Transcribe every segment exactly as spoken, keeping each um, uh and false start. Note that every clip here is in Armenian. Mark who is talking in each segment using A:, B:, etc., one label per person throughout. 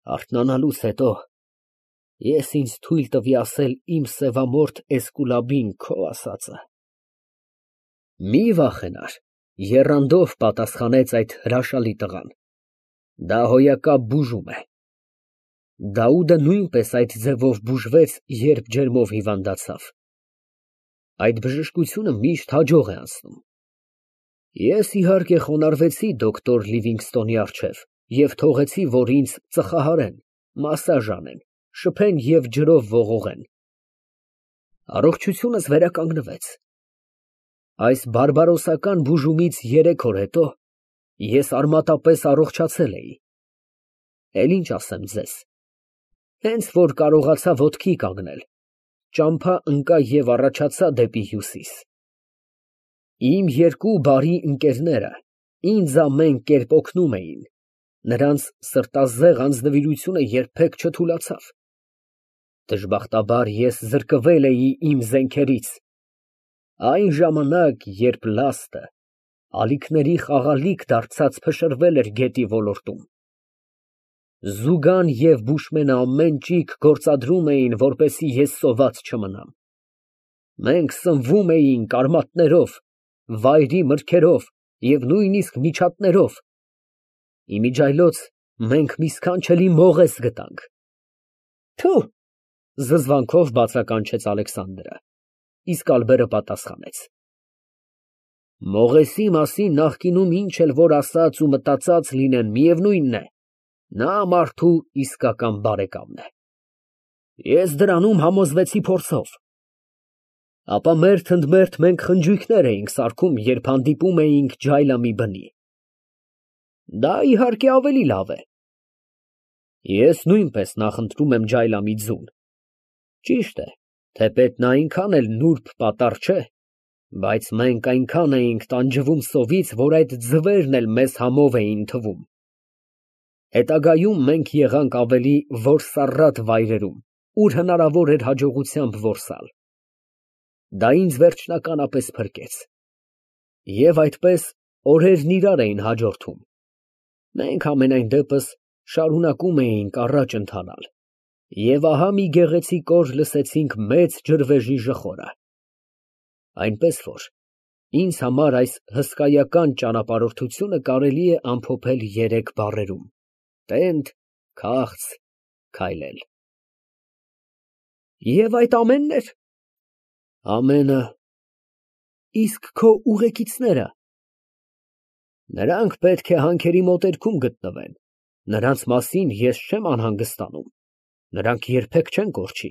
A: Արթնանալուց հետո ես ինձ թույլ տվի ասել իմ սևամորթ Էսկուլապին քո ասածը։ Մի վախենար, եռանդով պատասխանեց այդ հրաշալի տղան, դա հոյակապ բուժում է։ Դաուդը նույնպես այդ ձևով բուժվեց, երբ ջերմով հիվանդացավ։ Այդ բժշկությունը միշտ հաջող է անցնում։ Ես իհարկե խոնարհվեցի դոկտոր Լիվինգստոնի առջև և թողեցի, որ ինձ ծխահարեն, մասաժ անեն, շփեն և ջրով ողողեն։ Առողջությունս վերականգնվեց։ Այս բարբարոսական բուժումից երեք օր հետո ես արմատապես առողջացել էի։ Էլ ինչ ասեմ ձեզ, հենց որ կարողացա ոտքի կանգնել, ճամփա ընկա և առաջացա դեպի հյուսիս։ Իմ երկու բարի ընկերները ինձ ամեն կերպ օգնում էին, նրանց սրտազեղ անձնվիրությունը երբեք չթուլացավ։ Դժբախտաբար ես զրկվել էի իմ զենքերից, այն ժամանակ, երբ լաստը ալիքների խաղալիք դարձած փշրվել էր գետի ոլորտում։ Զուգան և բուշմենը ամեն ճիգ գործադրում էին, որպեսզի ես սոված չմնամ։ Մենք սնվում էինք արմատներով, վայրի մրգերով և նույնիսկ միջատներով։ Իմիջիայլոց մենք մի սքանչելի մողես գտանք։ Թո՛, զզվանքով բացականչեց Ալեքսանդրը, իսկ Ալբերը պատասխանեց. Մողեսի մասին նախկինում ինչ էլ որ ասած ու մտածած լինեն, միևնույն է, նա մարդու իսկական բարեկամն է։ Ես դրանում համոզվեցի փորձով։ Ապա մերթ ընդ մերթ մենք խնջույքներ էինք սարքում, երբ հանդիպում էինք ջայլամի բնի։ Դա իհարկե ավելի լավ է։ Ես նույնպես նախընտրում եմ ջայլամի ձուն։ Ճիշտ է, թեպետ նա այնքան էլ նուրբ պատառ չէ, բայց մենք այնքան էինք տանջվում սովից, որ այդ ձվերն էլ մեզ համով էին թվում։ Հետագայում մենք եղանք ավելի որսառատ վայրերում, ուր հնարավոր էր հաջողությամբ որսալ։ Դա ինձ վերջնականապես փրկեց։ Եվ այդպես օրերն իրար էին հաջորդում։ Մենք համենայն դեպս շարունակում էինք առաջ ընթանալ, և ահա մի գեղեցիկ օր լսեցինք մեծ ջրվեժի ժխորը։ Այնպես որ ինձ համար այս հսկայական ճանապարհորդությունը կարելի է ամփոփել երեք բառերում. տենդ, քաղց, քայլել։ Եվ այդ ամենն էր։ Ամենը։ Իսկ քո ուղեկիցնե՞րը։ Նրանք պետք է հանքերի մոտերքում գտնվեն, նրանց մասին ես չեմ անհանգստանում, նրանք երբեք չեն կորչի։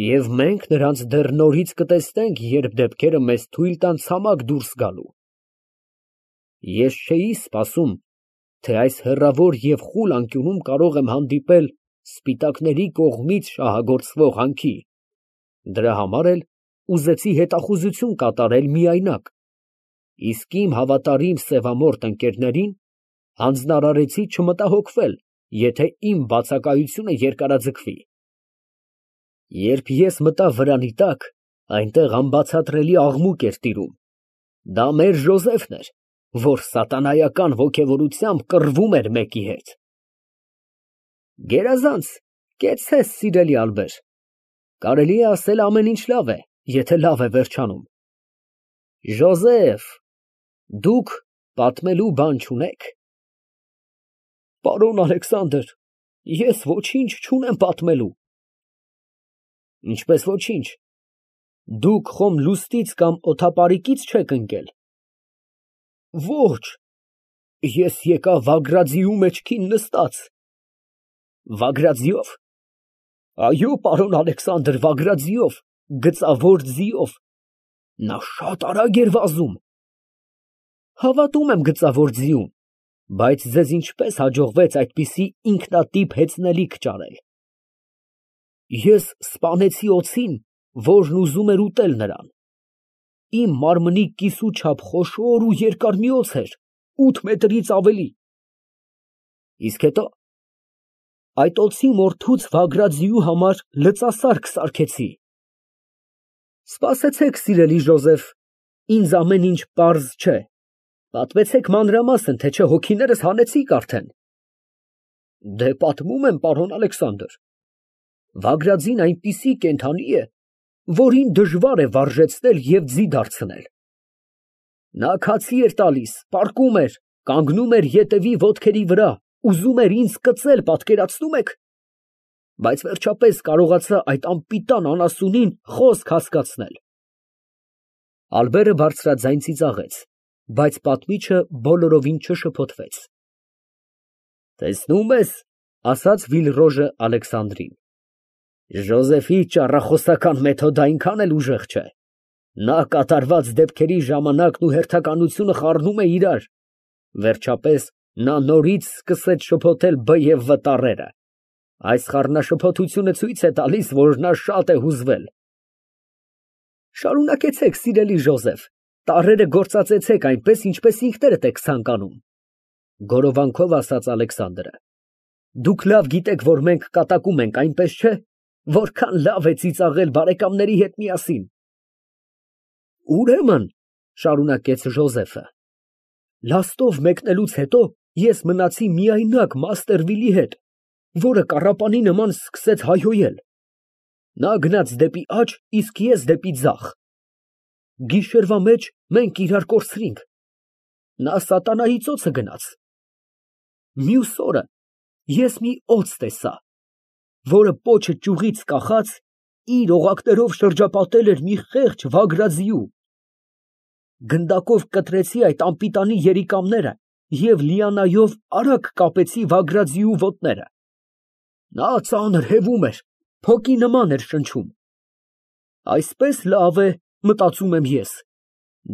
A: Եվ մենք նրանց դեռ նորից կտեսնենք, երբ դեպքերը մեզ թույլ տան ցամաք դուրս գալու։ Ես չէի սպասում, թե այս հեռավոր և խուլ անկյունում կարող եմ հանդիպել սպիտակների կողմից շահագործվող հանքի, դրա համար էլ ուզեցի հետախուզություն կատարել միայնակ, իսկ իմ հավատարիմ սևամորթ ընկերներին հանձնարարեցի չմտահոգվել, եթե իմ բացակայությունը երկարաձգվի։ Երբ ես մտա վրանի տակ, այնտեղ անբացատրելի աղմուկ էր տիրում։ Դա մեր Ժոզեֆն էր, որ սատանայական ոգևորությամբ կռվում էր մեկի հետ։ Գերազանց, կեցցես, սիրելի Ալբեր, կարելի է ասել ամեն ինչ լավ է, եթե լավ է վերջանում։ Ժոզեֆ, դուք պատմելու բան չունե՞ք։ Պարոն Ալեքսանդր, ես ոչինչ չունեմ պատմելու։ Ինչպես ոչինչ, դուք խոմ լուստից կամ օդապարիկից չեք ընկել։ Ոչ, ես եկա Վագրաձիու մեջքին նստած։ Վագրաձիով։ Այո, պարոն Ալեքսանդր, Վագրաձիով, գծավոր ձիով։ Նա շատ արագ էր վազում։ Հավատում եմ գծավոր ձիուն, բայց ձեզ ինչպես հաջողվեց այդպիսի ինքնատիպ հեծնելիք ճարել։ Ես սպանեցի օձին, որն ուզում էր ուտել նրան։ Իմ մարմնի կիսու չափ խոշոր ու երկար մի օձ էր, ութ մետրից ավելի։ Իսկ հետո այդ օձի մորթուց Վագրաձիու համար լծասարք սարքեցի։ Սպասեցեք, սիրելի Ժոզեֆ, ինձ ամեն ինչ պարզ չէ, պատմեցեք մանրամասն, թե չէ հոգիներս հանեցիք արդեն։ Դե պատմում եմ, պարոն Ալեքսանդր։ Վագրատζին այնպիսի կենդանի է, որին դժվար է վարժեցնել և ձի դարձնել։ Նա քացի էր տալիս, պառկում էր, կանգնում էր ետևի ոտքերի վրա, ուզում էր ինձ կծել, պատկերացնում եք։ Բայց վերջապես կարողացա այդ անպիտան անասունին խոսք հասկացնել։ Ալբերը բարձրաձայն ծիծաղեց, բայց պատմիչը բոլորովին չշփոթվեց։ Տեսնում ես, ասաց Վիլրոժը Ալեքսանդրին, Ժոզեֆի ճառախոսական մեթոդը այնքան էլ ուժեղ չէ։ Նա կատարված դեպքերի ժամանակն ու հերթականությունը խառնում է իրար։ Վերջապես նա նորից սկսեց շփոթել Բ և Վ տառերը։ Այս խառնաշփոթությունը ցույց է տալիս, որ նա շատ է հուզվել։ Շարունակեցեք, սիրելի Ժոզեֆ, տառերը գործածեցեք այնպես, ինչպես ինքներդ եք ցանկանում, գորովանքով ասաց Ալեքսանդրը։ Դուք լավ գիտեք, որ մենք կատակում ենք, այնպես չէ, որքան լավ է ծիծաղել բարեկամների հետ միասին։ Ուրեմն, շարունակեց Ժոզեֆը, լաստով մեկնելուց հետո ես մնացի միայնակ մաստեր Վիլի հետ, որը կառապանի նման սկսեց հայհոյել։ Նա գնաց դեպի աջ, իսկ ես դեպի ձախ։ Գիշերվա մեջ մենք իրար կորցրինք։ Նա սատանայի ծոցը գնաց։ Մյուս օրը ես մի օձ տեսա, որը պոչը ճյուղից կախած իր օղակներով շրջապատել էր մի խեղճ վագրաձիու։ Գնդակով կտրեցի այդ անպիտանի երիկամները և լիանայով արագ կապեցի վագրաձիու ոտները։ Նա ծանր հևում էր, փոկի նման էր շնչում։ Այսպես լավ է, մտածում եմ ես,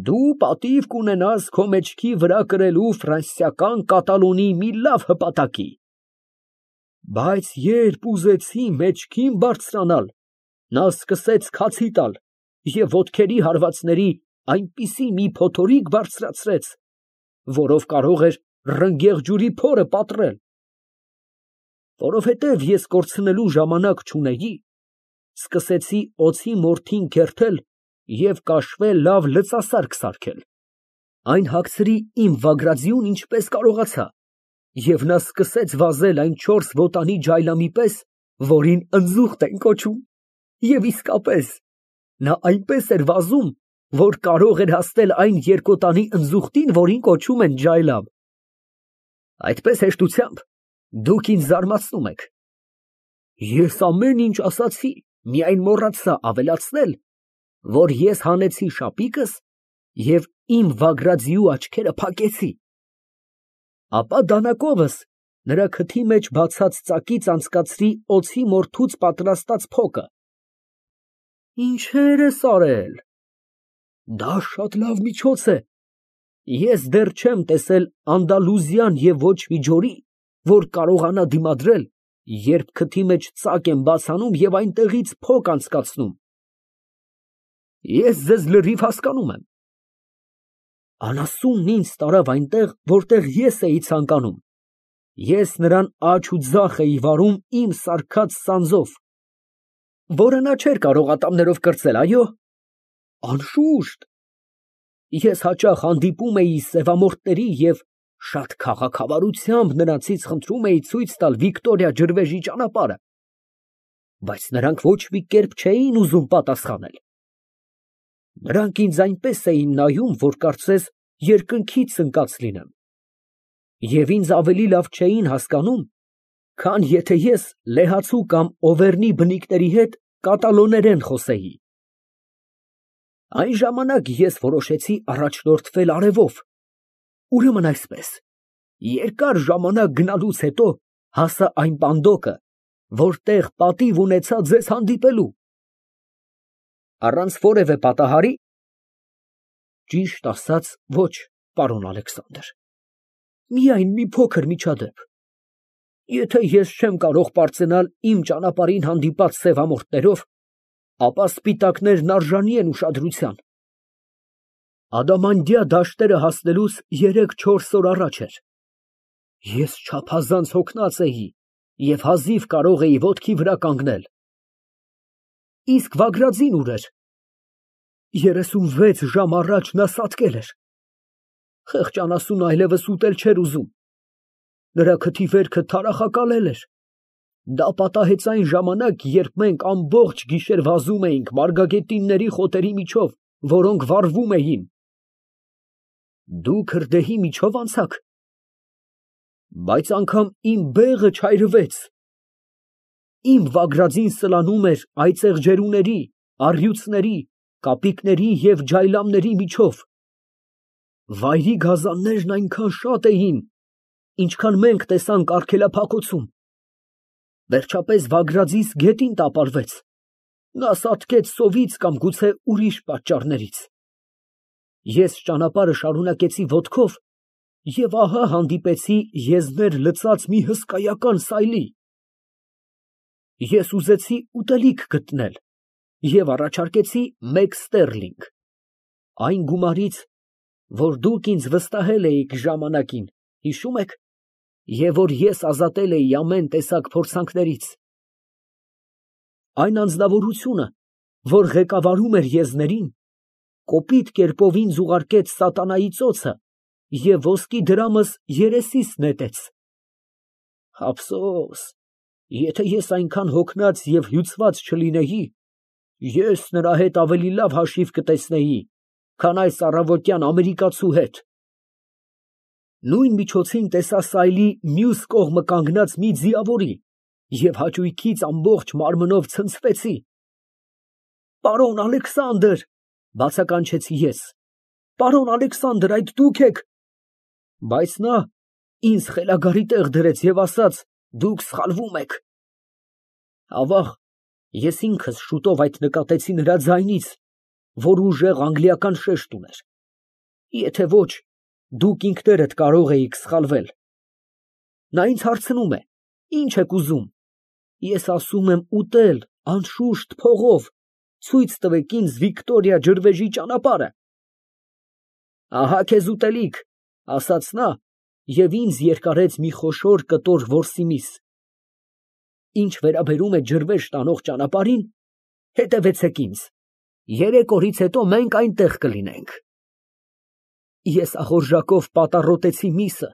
A: դու պատիվ կունենաս քո մեջքի վրա կրելու ֆրանսիական կատալոնի մի լավ հպատակի։ Բայց երբ ուզեցի մեջքին բարձրանալ, նա սկսեց քացի տալ և ոտքերի հարվածների այնպիսի մի փոթորիկ բարձրացրեց, որով կարող էր ռնգեղ ջուրի փորը պատռել։ Որովհետև ես կորցնելու ժամանակ չունեի, սկսեցի օձի մորթին քերթել և կաշվե լավ լծասարք սարքել։ Այն հագցրի իմ վագրաձիուն ինչպես կարողացա, և նա սկսեց վազել այն չորս ոտանի ջայլամի պես, որին ընձուղտ են կոչում, և իսկապես, նա այնպես էր վազում, որ կարող էր հասնել այն երկոտանի ընձուղտին, որին կոչում են ջայլամ։ Այդպես հեշտությամբ դուք ինձ զարմացնում եք։ Ես ամեն ինչ ասացի, միայն մոռացա ավելացնել, որ ես հանեցի շապիկս և իմ վագրաձիու աչքերը փակեցի։ Ապա դանակովս նրա քթի մեջ բացած ծակից անցկացրի օձի մորթուց պատրաստած փոկը։ Ինչեր ես արել։ Դա շատ լավ միջոց է։ Ես դեռ չեմ տեսել Անդալուզիան և ոչ մի ջորի, որ կարողանա դիմադրել, երբ քթի մեջ ծակ եմ բաց անում և այնտեղից փոկ անցկացնում։ Ես ձեզ լրիվ հասկանում եմ։ Անասունն ինձ տարավ այնտեղ, որտեղ ես էի ցանկանում։ Ես նրան աջ ու ձախ էի վարում իմ սարքած սանձով, որը նա չէր կարող ատամներով կրծել, այո։ Անշուշտ։ Ես հաճախ հանդիպում էի սևամորթների և շատ քաղաքավարությամբ նրանցից խնդրում էի ցույց տալ Վիկտորիա ջրվեժի ճանապարհը, բայց նրանք ոչ մի կերպ չէին ուզում պատասխանել։ Նրանք ինձ այնպես էին նայում, որ կարծես երկնքից ընկած լինեմ, և ինձ ավելի լավ չէին հասկանում, քան եթե ես լեհացու կամ օվերնի բնիկների հետ կատալոներեն խոսեի։ Այն ժամանակ ես որոշեցի առաջնորդվել արևով, ուրեմն այսպես, երկար ժամանակ գնալուց հետո հասա այն պանդոկը, որտեղ պատիվ ունեցա ձեզ հանդիպելու։ Առանց որևէ պատահարի։ Ճիշտ ասած, ոչ, պարոն Ալեքսանդր, միայն մի փոքր միջադեպ։ Եթե ես չեմ կարող պարծենալ իմ ճանապարհին հանդիպած սևամորթներով, ապա սպիտակներն արժանի են ուշադրության։ Ադամանդյա դաշտերը հասնելուց երեք֊չորս օր առաջ էր։ Ես չափազանց հոգնած էի և հազիվ կարող էի ոտքի վրա կանգնել։ Իսկ Վագրատζին ուր էր։ Երեսունվեց ժամ առաջ նա սատկել էր։ Խեղճ անասունը այլևս ուտել չէր ուզում։ նրա քթի վերքը թարախակալել էր։ Դա պատահեց այն ժամանակ, երբ մենք ամբողջ գիշեր վազում էինք մարգագետինների խոտերի միջով, որոնք վառվում էին։ Դու քրդեհի միջով անցաք։ Բայց անգամ իմ բեղը չայրվեց։ Իմ վագրածին սլանում էր այծեղ ջերուների, առյուծների, կապիկների և ջայլամների միջով։ Վայրի գազաններն այնքան շատ էին, ինչքան մենք տեսանք արգելափակոցում։ Վերջապես վագրածիս գետին տապալվեց, նա սատկեց սովից կամ գուցե ուրիշ պատճառներից։ Ես ճանապարհը շարունակեցի ոտքով և ահա հանդիպեցի եզներ լցած մի հսկայական սայլի։ Ես ուզեցի ուտելիք գտնել և առաջարկեցի մեկ ստերլինգ, այն գումարից, որ դուք ինձ վստահել էիք ժամանակին, հիշո՞ւմ եք, և որ ես ազատել էի ամեն տեսակ փորձանքներից։ Այն անձնավորությունը, որ ղեկավարում էր եզներին, կոպիտ կերպով ինձ ուղարկեց սատանայի ծոցը և ոսկի դրամս երեսիս նետեց։ Ափսոս, եթե ես այնքան հոգնած և հյուծված չլինեի, ես նրա հետ ավելի լավ հաշիվ կտեսնեի, քան այս առավոտյան ամերիկացու հետ։ Նույն միջոցին տեսա սայլի մյուս կողմը կանգնած մի ձիավորի և հաճույքից ամբողջ մարմնով ցնցվեցի։ «Պարոն Ալեքսանդր», ֊ բացականչեցի ես, «պարոն Ալեքսանդր, այդ դուք եք»։ Բայց նա ինձ խելագարի տեղ դրեց և ասաց. «Դուք սխալվում եք»։ Ավաղ, ես ինքս շուտով այդ նկատեցի նրա ձայնից, որ ուժեղ անգլիական շեշտ ուներ։ Եթե ոչ, դուք ինքներդ կարող էիք սխալվել։ Նա ինձ հարցնում է. «Ի՞նչ եք ուզում»։ Ես ասում եմ. «Ուտել, անշուշտ, փողով, ցույց տվեք ինձ Վիկտորիա ջրվեժի ճանապարհը»։ «Ահա քեզ ուտելիք», ֊ ասաց նա և ինձ երկարեց մի խոշոր կտոր որսի միս։ Ինչ վերաբերում է ջրվեժ տանող ճանապարհին, հետևեցեք ինձ, երեք օրից հետո մենք այնտեղ կլինենք։ Ես ախորժակով պատառոտեցի միսը,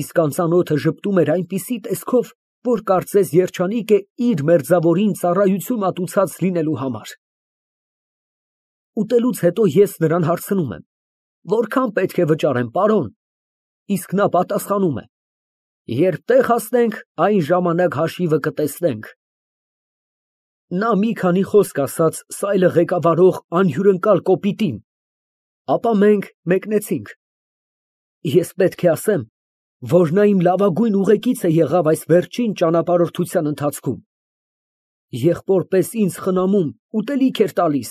A: իսկ անծանոթը ժպտում էր այնպիսի տեսքով, որ կարծես երջանիկ է իր մերձավորին ծառայություն մատուցած լինելու համար։ Ուտելուց հետո ես նրան հարցնում եմ. «Որքան պետք է վճարեմ, պարոն»։ Իսկ նա պատասխանում է. «Երբ տեղ հասնենք, այն ժամանակ հաշիվը կտեսնենք»։ Նա մի քանի խոսք ասաց սայլը ղեկավարող անհյուրընկալ կոպիտին, ապա մենք մեկնեցինք։ Ես պետք է ասեմ, որ նա իմ լավագույն ուղեկիցը եղավ այս վերջին ճանապարհորդության ընթացքում։ Եղբոր պես ինձ խնամում, ուտելիք էր տալիս,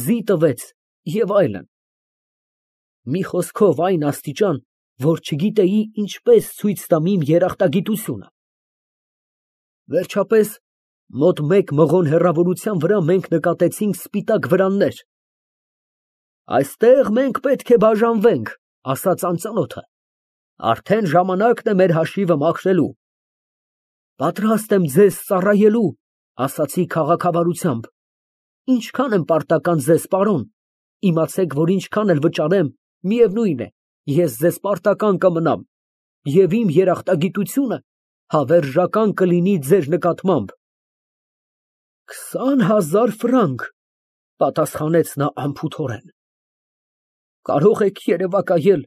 A: ձի տվեց և այլն։ Մի խոսքով, այն աստիճան, որ չգիտեի ինչպես ցույց տամ իմ երախտագիտությունը։ Վերջապես, մոտ մեկ մղոն հեռավորության վրա մենք նկատեցինք սպիտակ վրաններ։ «Այստեղ մենք պետք է բաժանվենք», ֊ ասաց անծանոթը, «արդեն ժամանակն է մեր հաշիվը մաքրելու»։ «Պատրաստ եմ ձեզ ծառայելու», ֊ ասացի քաղաքավարությամբ։ «Ինչքան եմ պարտական ձեզ, պարոն, իմացեք, որ ինչքան էլ վճարեմ, միևնույն է, ես ձեզ պարտական կմնամ, և իմ երախտագիտությունը հավերժական կլինի ձեր նկատմամբ»։ «Քսան հազար ֆրանկ», ֊ պատասխանեց նա անփութորեն։ Կարող եք երևակայել,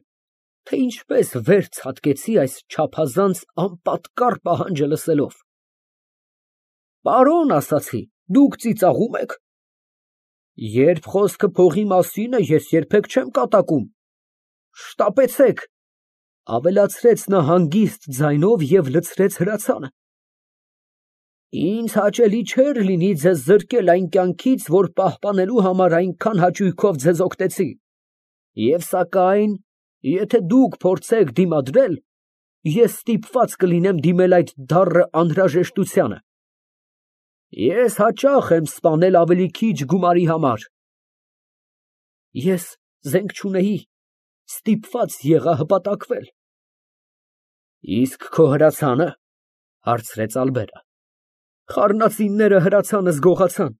A: թե ինչպես վեր ցատկեցի այս չափազանց անպատկառ պահանջը լսելով։ «Պարոն, ասացի, դուք ծիծաղում եք»։ «Երբ խոսքը փողի մասին է, ես երբեք չեմ կատակում»։ «Շտապեցեք», ֊ ավելացրեց նա հանգիստ ձայնով և լցրեց հրացանը։ «Ինձ հաճելի չէր լինի ձեզ զրկել այն կյանքից, որ պահպանելու համար այնքան հաճույքով ձեզ օգնեցի, և սակայն, եթե դուք փորձեք դիմադրել, ես ստիպված կլինեմ դիմել այդ դառն անհրաժեշտությանը։ Ես հաճախ եմ սպանել ավելի քիչ գումարի համար»։ Ես զենք չունեի, ստիպված եղա հպատակվել։ «Իսկ քո հրացանը, ֊ հարցրեց Ալբերը։ ֊ Խառնածինները հրացանս գողացան։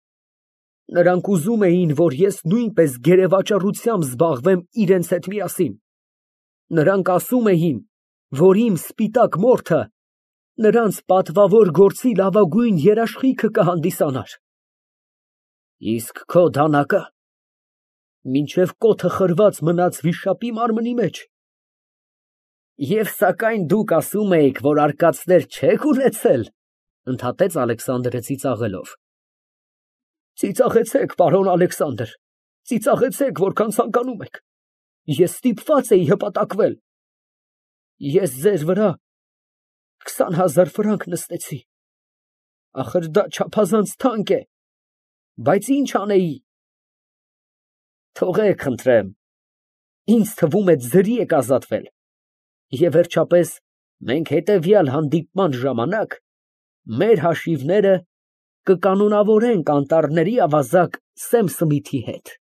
A: Նրանք ուզում էին, որ ես նույնպես գերեվաճառությամբ զբաղվեմ իրենց հետ միասին։ Նրանք ասում էին, որ իմ սպիտակ մորթը նրանց պատվավոր գործի լավագույն երաշխիքը կհանդիսանար։ Իսկ քո դանակը մինչև կոթը խրված մնաց վիշապի մարմնի մեջ։ Եվ սակայն դուք ասում էիք, որ արկածներ չեք ունեցել, ընդհատեց Ալեքսանդրը ծիծաղելով։ Ծիծաղեցեք, պարոն Ալեքսանդր, ծիծաղեցեք, որքան ցանկանում եք։ Ես ստիպված էի հպատակվել։ Ես ձեր վրա քսան հազար ֆրանկ նստեցի։ Ախր դա չափազանց թանկ է, բայց ինչ անեի։ Թողեք, խնդրեմ, ինձ թվում է ձրի եք ազատվել, և վերջապես մենք հետևյալ հանդիպման ժամանակ մեր հաշիվները կկանոնավորենք անտառների ավազակ Սեմ Սմիթի հետ։